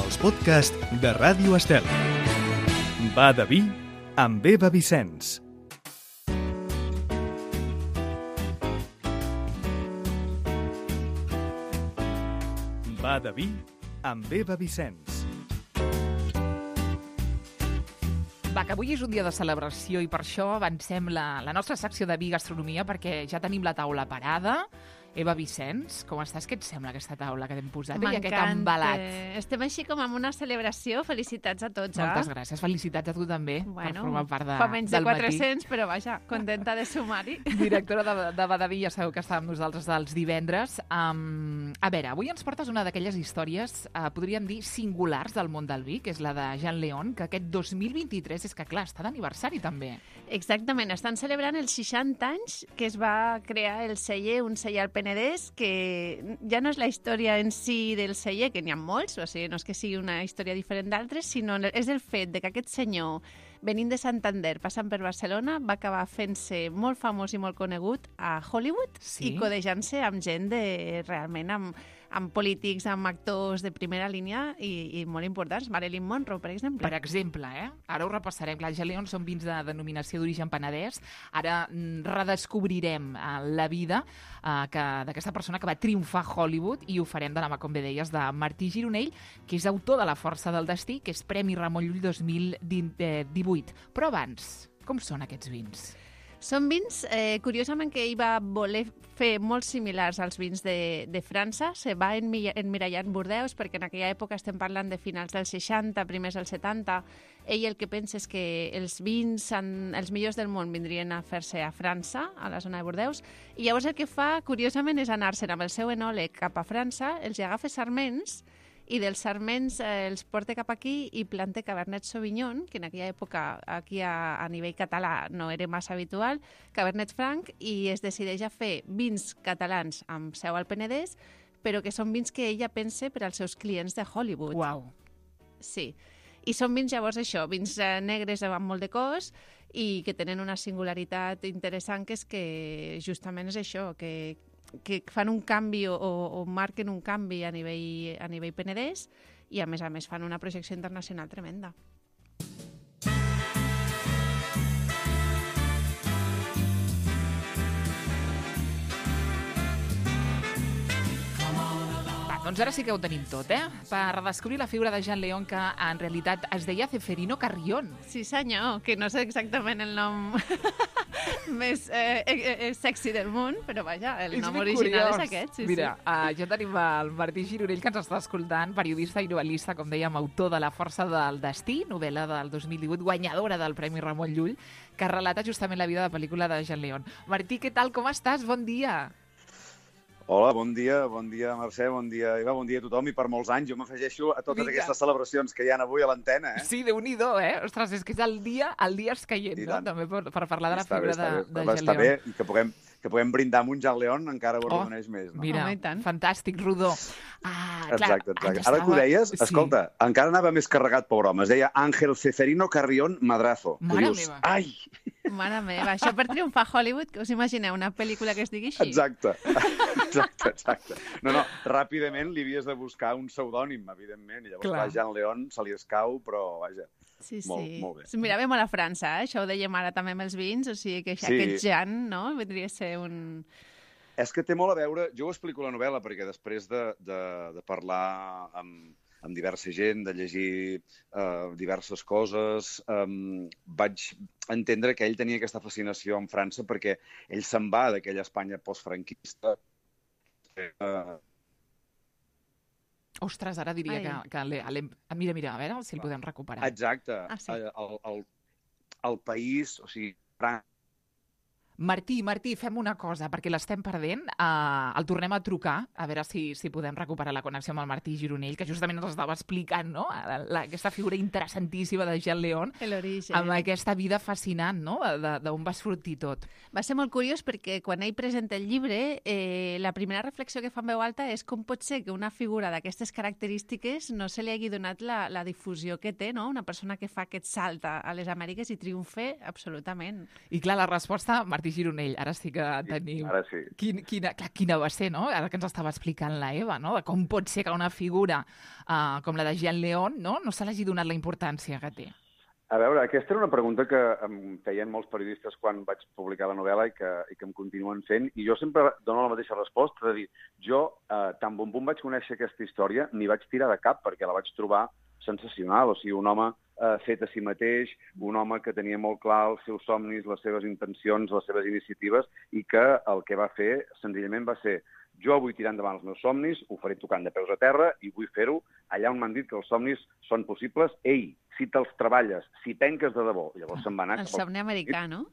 els podcasts de Ràdio Estel. Va de vi amb Eva Vicenç. Va de vi amb Eva Vicenç. Va, que avui és un dia de celebració i per això avancem la nostra secció de vi i gastronomia perquè ja tenim la taula parada. Eva Vicenç, com estàs? Què et sembla aquesta taula que t'hem posat? I aquest embalat. Estem així com amb una celebració. Felicitats a tots, Moltes gràcies. Felicitats a tu també per formar part del matí. Fa menys de 400, però vaja, contenta de sumar-hi. Directora de Badaví, ja sabeu que està amb nosaltres els divendres. A veure, avui ens portes una d'aquelles històries, podríem dir, singulars del món del vi, que és la de Jean Leon, que aquest 2023 és que, clar, està d'aniversari també. Exactament, estan celebrant els 60 anys que es va crear el celler, un celler al Penedès, que ja no és la història en si del celler, que n'hi ha molts, o sigui, no és que sigui una història diferent d'altres, sinó és el fet de que aquest senyor, venint de Santander, passant per Barcelona, va acabar fent-se molt famós i molt conegut a Hollywood, sí? I codejant-se amb gent realment amb polítics, amb actors de primera línia i molt importants. Marilyn Monroe, per exemple. Per exemple, Ara ho repassarem. Clar, Jean Leon són vins de denominació d'origen penedès. Ara redescobrirem la vida d'aquesta persona que va triomfar a Hollywood i ho farem de la mà, com bé deies, de Martí Gironell, que és autor de La força del destí, que és Premi Ramon Llull 2018. Però abans, com són aquests vins? Són vins, curiosament, que ell va voler fer molt similars als vins de França. Se va emmirallar en Bordeus, perquè en aquella època estem parlant de finals dels 60, primers dels 70. Ell el que pensa és que els vins, els millors del món, vindrien a fer-se a França, a la zona de Bordeus, i llavors el que fa, curiosament, és anar-se'n amb el seu enòleg cap a França, els agafa sarments, i dels sarments els porta cap aquí i planta Cabernet Sauvignon, que en aquella època aquí a nivell català no era massa habitual, Cabernet Franc, i es decideix a fer vins catalans amb seu al Penedès, però que són vins que ella pensa per als seus clients de Hollywood. Uau! Sí. I són vins, llavors, això, vins negres amb molt de cos i que tenen una singularitat interessant, que és que justament és això, que fan un canvi o marquen un canvi a nivell penedès i, a més, fan una projecció internacional tremenda. Doncs ara sí que ho tenim tot, per redescobrir la figura de Jean Leon, que en realitat es deia Ceferino Carrión. Sí, senyor, que no sé exactament el nom més sexy del món, però vaja, el nom original és aquest. Sí, mira, ja tenim el Martí Gironell, que ens està escoltant, periodista i novel·lista, com dèiem, autor de La força del destí, novel·la del 2018, guanyadora del Premi Ramon Llull, que relata justament la vida de pel·lícula de Jean Leon. Martí, què tal, com estàs? Bon dia. Hola, bon dia, Mercè, bon dia, Eva, bon dia a tothom, i per molts anys. Jo m'afegeixo a totes aquestes celebracions que hi ha avui a l'antena, Sí, Déu-n'hi-do, Ostres, és que és el dia escaient, no? També per parlar de la figura de Jean Leon. Està bé, i que puguem brindar amb un Jean Leon encara ho arrodoneix més, no? Mira, fantàstic, rodó. Exacte. Ara que ho deies, escolta, encara anava més carregat, pobre home. Es deia Ángel Ceferino Carrión Madrazo. Mare meva. Ai! Mare meva, això per triomfar a Hollywood, que us imagineu, una pel·lícula que es digui així? Exacte. No, ràpidament li havies de buscar un pseudònim, evidentment, i llavors Jean Leon se li escau, però vaja, molt bé. Mirava molt a França, això ho dèiem ara també amb els vins, o sigui que aquest Jean, no?, vendria a ser un... És que té molt a veure, jo ho explico a la novel·la, perquè després de parlar amb diversa gent, de llegir diverses coses, vaig entendre que ell tenia aquesta fascinació en França perquè ell se'n va d'aquella Espanya postfranquista. Ostres, ara diria que mira, a veure si el podem recuperar. Exacte. El país, o sigui, França, Martí, fem una cosa, perquè l'estem perdent. El tornem a trucar, a veure si podem recuperar la connexió amb el Martí Gironell, que justament ens estava explicant, no?, aquesta figura interessantíssima de Jean Leon, amb aquesta vida fascinant, no?, d'on va sortir tot. Va ser molt curiós perquè quan ell presenta el llibre, la primera reflexió que fa en veu alta és com pot ser que una figura d'aquestes característiques no se li hagi donat la difusió que té, no?, una persona que fa aquest salt a les Amèriques i triomfe absolutament. I clar, la resposta, Martí, Martí Gironell, ara sí que tenim... Ara sí. Quina va ser, no? Ara que ens estava explicant la Eva, no? De com pot ser que una figura com la de Jean León no se l'hagi donat la importància que té. A veure, aquesta era una pregunta que em feien molts periodistes quan vaig publicar la novel·la i que em continuen fent, i jo sempre dono la mateixa resposta, de dir, jo, tan bon punt vaig conèixer aquesta història, m'hi vaig tirar de cap, perquè la vaig trobar sensacional, o sigui, un home fet a si mateix, un home que tenia molt clar els seus somnis, les seves intencions, les seves iniciatives, i que el que va fer, senzillament, va ser jo vull tirar endavant els meus somnis, ho faré tocant de peus a terra i vull fer-ho allà on m'han dit que els somnis són possibles. Ei, si te'ls treballes, si penques de debò, llavors se'n va anar... El somni americà, no?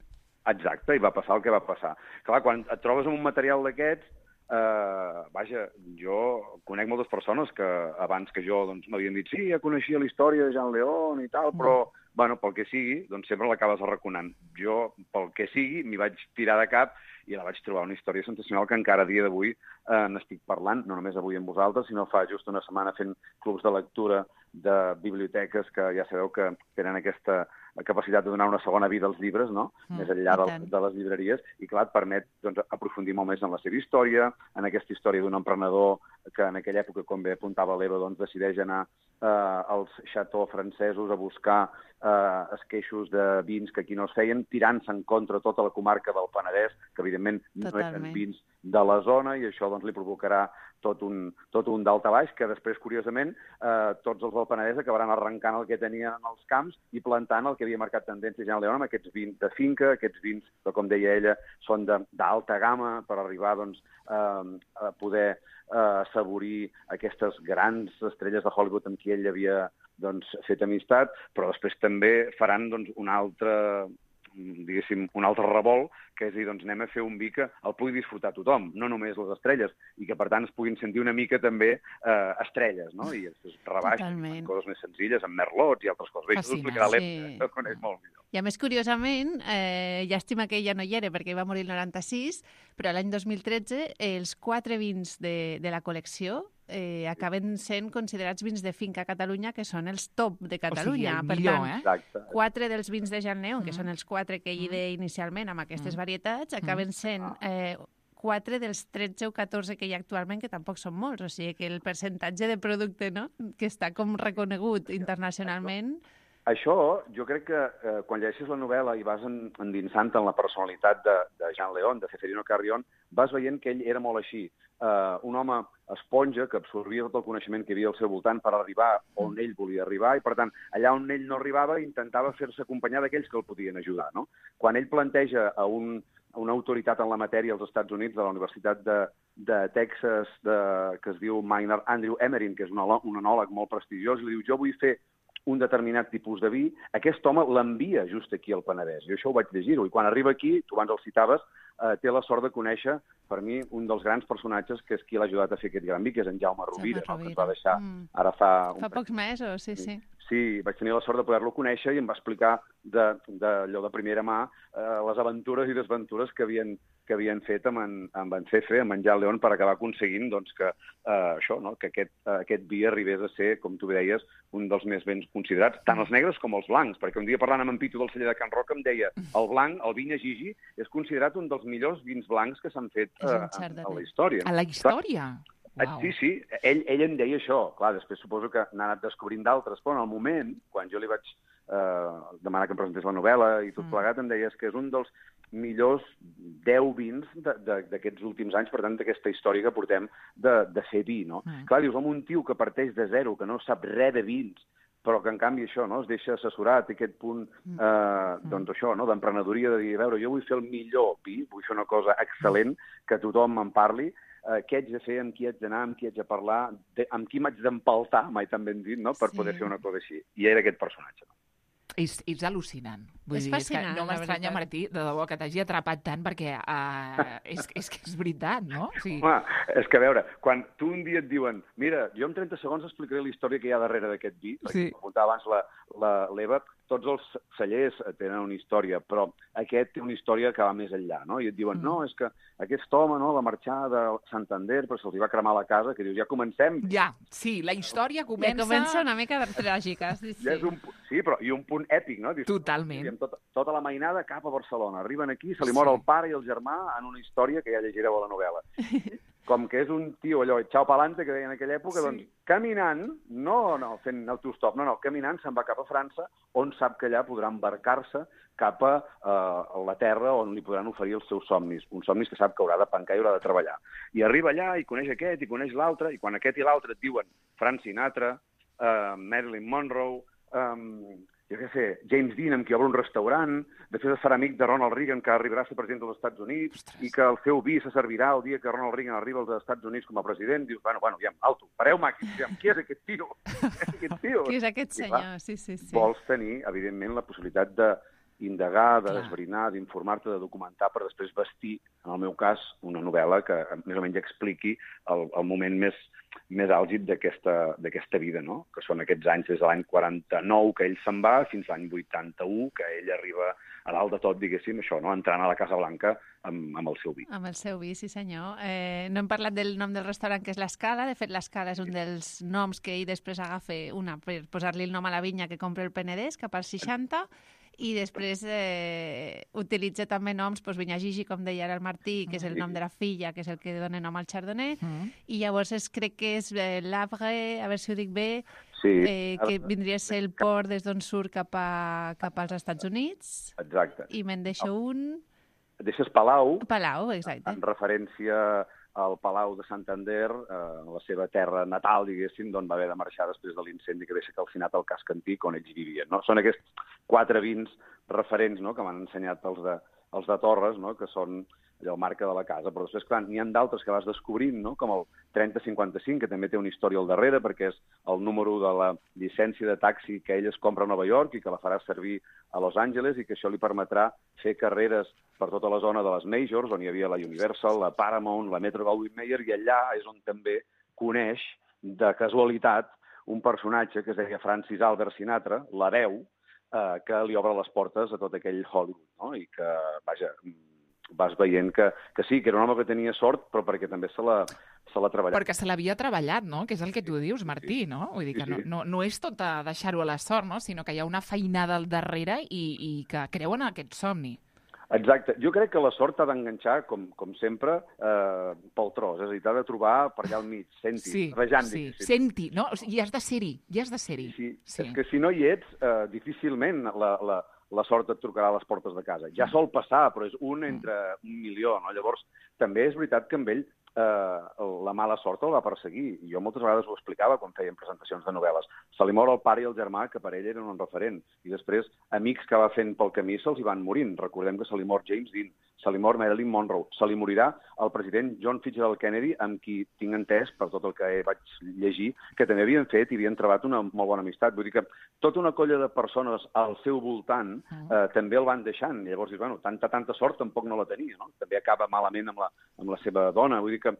Exacte, i va passar el que va passar. Clar, quan et trobes amb un material d'aquests, vaja, jo conec moltes persones que abans que jo doncs, m'havien dit sí, ja coneixia la història de Jean León i tal, però bueno, pel que sigui, doncs sempre l'acabes arraconant. Jo, pel que sigui, m'hi vaig tirar de cap i la vaig trobar una història sensacional que encara a dia d'avui n'estic parlant, no només avui amb vosaltres, sinó fa just una setmana fent clubs de lectura de biblioteques que ja sabeu que tenen aquesta capacitat de donar una segona vida als llibres, no? Més enllà de les llibreries, i clar, et permet doncs, aprofundir molt més en la seva història, en aquesta història d'un emprenedor que en aquella època, com bé apuntava l'Eva, doncs, decideix anar als xató francesos a buscar esqueixos de vins que aquí no es feien, tirant-se en contra tota la comarca del Penedès, que evidentment no eren vins de la zona, i això doncs, li provocarà tot un daltabaix, que després, curiosament, tots els del Penedès acabaran arrencant el que tenien en els camps i plantant el que havia marcat tendència Jean León amb aquests vins de finca, aquests vins que, com deia ella, són d'alta gamma per arribar doncs, a poder assaborir aquestes grans estrelles de Hollywood amb qui ell havia doncs, fet amistat, però després també faran doncs, un altre revolt, que és dir, doncs anem a fer un vi que el pugui disfrutar tothom, no només les estrelles, i que per tant es puguin sentir una mica també estrelles, no? I es rebaixen coses més senzilles, amb merlots i altres coses. Bé, això ho explicarà l'Eva, que coneix molt millor. I a més, curiosament, llàstima que ella no hi era perquè va morir el 96, però l'any 2013 els 4 vins de la col·lecció acaben sent considerats vins de finca a Catalunya, que són els top de Catalunya. O sigui, el millor, per tant, 4 dels vins de Jean León, que són els 4 que ell deia inicialment amb aquestes varietats, acaben sent 4 dels 13 o 14 que hi ha actualment, que tampoc són molts. O sigui que el percentatge de producte, no?, que està com reconegut internacionalment... Això, jo crec que quan llegeixes la novel·la i vas endinsant en la personalitat de Jean León, de Ceferino Carrión, vas veient que ell era molt així. Un home esponja que absorbia tot el coneixement que hi havia al seu voltant per arribar on ell volia arribar, i per tant, allà on ell no arribava intentava fer-se acompanyar d'aquells que el podien ajudar, no? Quan ell planteja a una autoritat en la matèria als Estats Units, de la Universitat de Texas, que es diu Maynard Andrew Emerin, que és un enòleg molt prestigiós, i li diu, jo vull fer un determinat tipus de vi, aquest home l'envia just aquí al Penedès. Jo això ho vaig llegir-ho, i quan arriba aquí, tu abans el citaves, té la sort de conèixer, per mi, un dels grans personatges que és qui l'ha ajudat a fer aquest gran vi, que és en Jaume Rovira, no? Que ens va deixar ara fa pocs mesos, sí. Sí, vaig tenir la sort de poder-lo conèixer i em va explicar d'allò de primera mà les aventures i desventures que havien fet amb en Cefe, amb en Jean León, per acabar aconseguint doncs, que això, no? Que aquest vi arribés a ser, com tu deies, un dels més ben considerats, tant els negres com els blancs, perquè un dia parlant amb en Pitu del celler de Can Roca em deia el blanc, el Vinya Gigi, és considerat un dels millors vins blancs que s'han fet a la història. A la història? Wow. Sí, ell em deia això. Clar, després suposo que n'ha anat descobrint d'altres, però en el moment, quan jo li vaig demanar que em presentés la novel·la i tot plegat, em deies que és un dels millors 10 vins d'aquests últims anys, per tant, d'aquesta història que portem de fer vi, no? Clar, dius, un tio que parteix de zero, que no sap res de vins, però que en canvi això, no, es deixa assessorar, té aquest punt, doncs això, no, d'emprenedoria, de dir, a veure, jo vull fer el millor vi, vull fer una cosa excel·lent, que tothom me'n parli, què haig de fer, amb qui haig d'anar, amb qui haig de parlar, amb qui m'haig d'empaltar, mai tan ben dit, no?, per poder fer una cosa així. I era aquest personatge. És al·lucinant. Vull dir, fascinant, no m'estranya, Martí, de debò, que t'hagi atrapat tant, perquè és que és veritat, no? O sigui... Home, és que a veure, quan tu un dia et diuen mira, jo en 30 segons explicaré la història que hi ha darrere d'aquest vi, perquè m'apuntava abans l'Eva, tots els cellers tenen una història, però aquest té una història que va més enllà, no? I et diuen, no, és que aquest home, no, va marxar de Santander, però se'ls va cremar la casa, que dius, ja comencem. Ja, sí, la història comença... Ja comença una mica tràgica, sí. Ja és un... Sí, però i un punt èpic, no? Totalment. Tota la mainada cap a Barcelona. Arriben aquí, se li mor el pare i el germà en una història que ja llegireu a la novel·la. Com que és un tio, allò, xau pa'lante, que deia en aquella època, doncs caminant, no fent autostop, caminant se'n va cap a França, on sap que allà podrà embarcar-se cap a la terra on li podran oferir els seus somnis, uns somnis que sap que haurà de pencar i haurà de treballar. I arriba allà i coneix aquest i coneix l'altre, i quan aquest i l'altre et diuen Frank Sinatra, Marilyn Monroe, jo què sé, James Dean, amb qui obre un restaurant, després es farà amic de Ronald Reagan, que arribarà a ser president dels Estats Units, i que el seu vi se servirà el dia que Ronald Reagan arriba als Estats Units com a president. Dius, bueno, aviam, alto, pareu màquines, aviam, qui és aquest tio? Qui és aquest senyor? Sí. Vols tenir, evidentment, la possibilitat d'indagar, de desbrinar, d'informar-te, de documentar, per després vestir, en el meu cas, una novel·la que més o menys expliqui el moment més àlgid d'aquesta vida, no? Que són aquests anys des de l'any 49 que ell se'n va fins a l'any 81, que ell arriba a dalt de tot, diguéssim, això, no? Entrant a la Casa Blanca amb el seu vi. Amb el seu vi, sí senyor. No hem parlat del nom del restaurant, que és l'Escala. De fet, l'Escala és un dels noms que ell després agafa per posar-li el nom a la vinya que compra el Penedès cap als 60, i després utilitza també noms, Vinya Gigi, com deia ara el Martí, que és el nom de la filla, que és el que dona nom al Chardonnay, i llavors crec que és l'Havre, a veure si ho dic bé, que vindria a ser el port des d'on surt cap als Estats Units. Exacte. I me'n deixo un... Deixes Palau. Palau, exacte. En referència al Palau de Santander, la seva terra natal, diguéssim, d'on va haver de marxar després de l'incendi que deixa calcinat el casc antic on ells vivien. No? Són aquests 4 vins referents, no?, que m'han ensenyat els de Torres, no?, que són allò, el marca de la casa. Però després, clar, n'hi ha d'altres que vas descobrint, no?, com el 3055, que també té una història al darrere, perquè és el número de la llicència de taxi que ell es compra a Nova York i que la farà servir a Los Angeles, i que això li permetrà fer carreres per tota la zona de les Majors, on hi havia la Universal, la Paramount, la Metro-Goldwyn-Mayer, i allà és on també coneix, de casualitat, un personatge que es deia Francis Albert Sinatra, la veu, que li obre les portes a tot aquell Hollywood, no? I que, vaja, vas veient que sí, que era un home que tenia sort, però perquè també se l'ha treballat. Perquè se l'havia treballat, no? Que és el que tu dius, Martí, no? Vull dir que no és tot a deixar-ho a la sort, no? Sinó que hi ha una feinada al darrere i que creuen en aquest somni. Exacte. Jo crec que la sort t'ha d'enganxar, com sempre, pel tros. És a dir, t'ha de trobar per allà al mig, senti, rejant. Sí, senti, no? I has de ser-hi, Sí. És que si no hi ets, difícilment la sort et trucarà a les portes de casa. Ja sol passar, però és un entre 1.000.000, no? Llavors, també és veritat que amb ell la mala sort el va perseguir. I jo moltes vegades ho explicava quan fèiem presentacions de novel·les. Se li mor el pare i el germà, que per ell eren un referent. I després, amics que va fent pel camí se'ls hi van morint. Recordem que se li mor James Dean, se li mor Marilyn Monroe, se li morirà el president John Fitzgerald Kennedy, amb qui tinc entès, per tot el que vaig llegir, que també havien fet i havien trobat una molt bona amistat. Vull dir que tota una colla de persones al seu voltant també el van deixant. I llavors dius, bueno, tanta sort tampoc no la tenia, no? També acaba malament amb la seva dona. Vull dir que,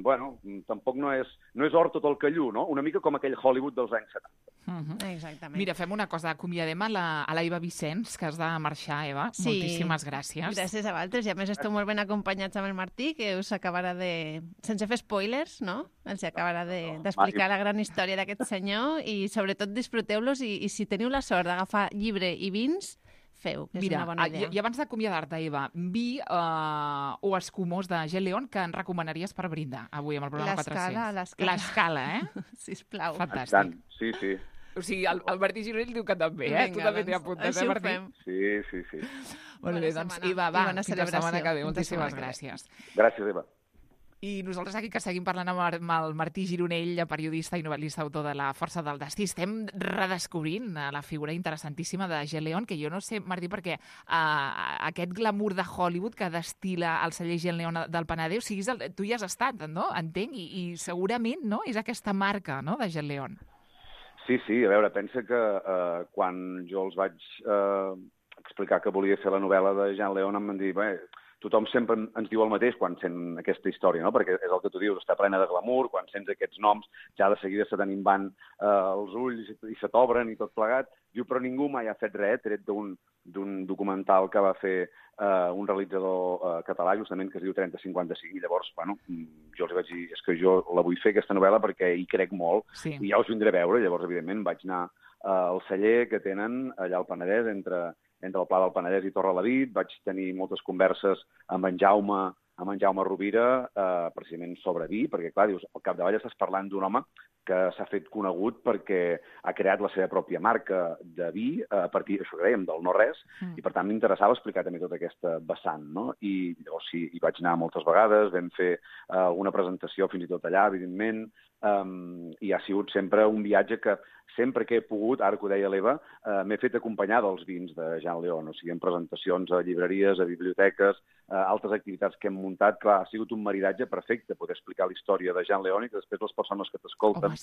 bueno, tampoc no és or tot el que llu, no? Una mica com aquell Hollywood dels anys 70. Exactament. Mira, fem una cosa, acomiadem a la Eva Vicenç, que has de marxar, Eva. Sí. Moltíssimes gràcies. Gràcies a vosaltres, i a més esteu molt ben acompanyats amb el Martí, que us acabarà sense fer spoilers, no? Els acabarà d'explicar la gran història d'aquest senyor, i sobretot disfruteu-los, i si teniu la sort d'agafar llibre i vins, feu, que és una bona idea. I abans d'acomiadar-te, Eva, vi o escumós de Gel León que ens recomanaries per brindar avui amb el programa 400. L'Escala, Sisplau. Fantàstic. Sí. O sigui, el Martí Gironell diu que també, tu també t'hi apuntes, Martí? Sí. Molt bé, doncs, Eva, fins la setmana que ve. Moltíssimes gràcies. Gràcies, Eva. I nosaltres aquí que seguim parlant amb el Martí Gironell, periodista i novel·lista, autor de La força del destí, estem redescobrint la figura interessantíssima de Gel León, que jo no sé, Martí, perquè aquest glamour de Hollywood que destila el celler Gel León del Penedès, o sigui, tu hi has estat, no? Entenc, i segurament, no?, és aquesta marca, no?, de Gel León. Sí, a veure, pensa que quan jo els vaig explicar que volia fer la novel·la de Gel León em van dir, bé, tothom sempre ens diu el mateix quan sent aquesta història, no? Perquè és el que tu dius, està plena de glamour, quan sents aquests noms ja de seguida se t'enimban els ulls i se t'obren i tot plegat. Diu, però ningú mai ha fet res, tret d'un documental que va fer un realitzador català, justament, que es diu 3055, i llavors, bueno, jo els vaig dir, és que jo la vull fer, aquesta novel·la, perquè hi crec molt, i ja us vindré a veure. Llavors, evidentment, vaig anar el celler que tenen allà al Penedès, entre el Pla del Penedès i Torrelavit. Vaig tenir moltes converses amb en Jaume Rovira, precisament sobre vi, perquè, clar, dius, al capdavall estàs parlant d'un home que s'ha fet conegut perquè ha creat la seva pròpia marca de vi a partir, això que dèiem, del no-res, i per tant m'interessava explicar també tota aquesta vessant, no? I llavors sí, hi vaig anar moltes vegades, vam fer alguna presentació fins i tot allà, evidentment, i ha sigut sempre un viatge que sempre que he pogut, ara que ho deia l'Eva, m'he fet acompanyar dels vins de Jean Leon, o sigui, en presentacions a llibreries, a biblioteques, altres activitats que hem muntat. Clar, ha sigut un maridatge perfecte poder explicar la història de Jean Leon i que després les persones que t'escolten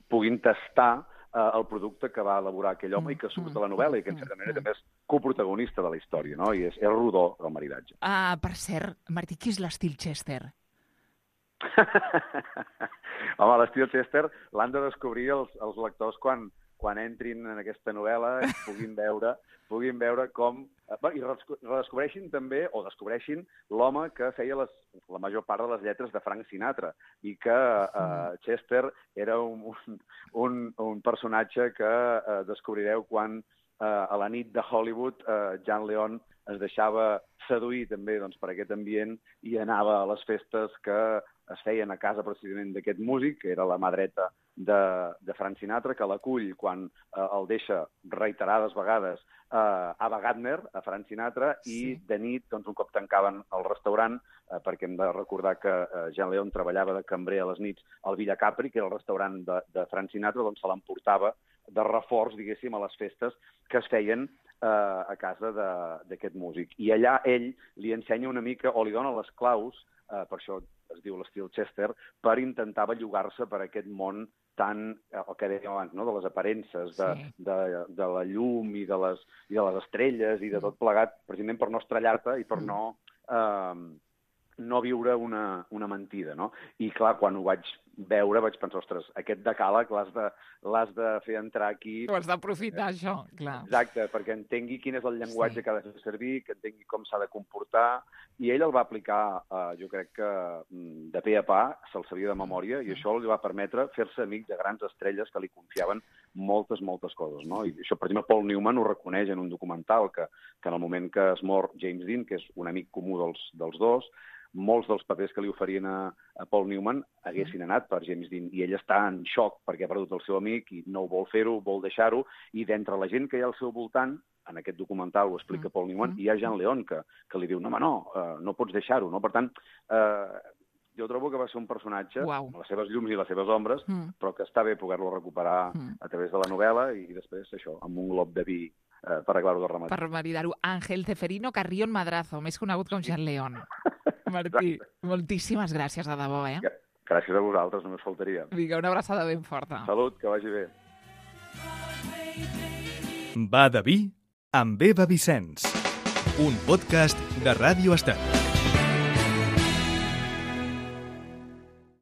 puguin tastar el producte que va elaborar aquell home i que surt a la novel·la i que, en certa manera, també és coprotagonista de la història, no? I és rodó, el maridatge. Per cert, Martí, qui és l'estil Chester? Home, l'estil Chester l'han de descobrir els lectors quan entrin en aquesta novel·la i puguin veure com... I redescobreixin també, o descobreixin l'home que feia la major part de les lletres de Frank Sinatra i que Chester era un personatge que descobrireu quan a la nit de Hollywood Jean Leon es deixava seduir també per aquest ambient i anava a les festes que es feien a casa precisament d'aquest músic, que era la mà dreta de Frank Sinatra, que l'acull quan el deixa reiterades vegades a Ava Gardner, a Frank Sinatra, i de nit, un cop tancaven el restaurant, perquè hem de recordar que Jean Leon treballava de cambrer a les nits al Villa Capri, que era el restaurant de Frank Sinatra, se l'emportava de reforç, diguéssim, a les festes que es feien a casa d'aquest músic. I allà ell li ensenya una mica, o li dona les claus, per això es diu l'estil Chester, per intentar bellugar-se per aquest món tan, el que dèiem abans, no? De les aparences, de la llum i de les estrelles i de tot plegat, precisament per no estrellar-te i per no viure una mentida, no? I, clar, quan ho vaig veure, vaig pensar, ostres, aquest decàleg l'has de fer entrar aquí... Ho has d'aprofitar, això, clar. Exacte, perquè entengui quin és el llenguatge que ha de fer servir, que entengui com s'ha de comportar, i ell el va aplicar, jo crec que de pe a pa, se'l sabia de memòria, i això li va permetre fer-se amic de grans estrelles que li confiaven moltes coses, no? I això, per exemple, Paul Newman ho reconeix en un documental, que en el moment que es mor James Dean, que és un amic comú dels dos, molts dels papers que li oferien a Paul Newman haguessin anat per James Dean, i ell està en xoc perquè ha perdut el seu amic i no ho vol fer-ho, vol deixar-ho, i d'entre la gent que hi ha al seu voltant, en aquest documental ho explica Paul Newman, hi ha Jean Leon que li diu, no pots deixar-ho, no? Per tant, jo trobo que va ser un personatge amb les seves llums i les seves ombres, però que està bé poder-lo recuperar a través de la novel·la i després, això, amb un glob de vi per aclarar-ho de rematar. Per maridar-ho. Ángel Ceferino Carrión Madrazo, més conegut com Jean Leon. Martí, moltíssimes gràcies, de debò, Gràcies a vosaltres, només faltaria. Vinga, una abraçada ben forta. Salut, que vagi bé. Va de vi amb Eva Vicenç, un podcast de Ràdio Estel.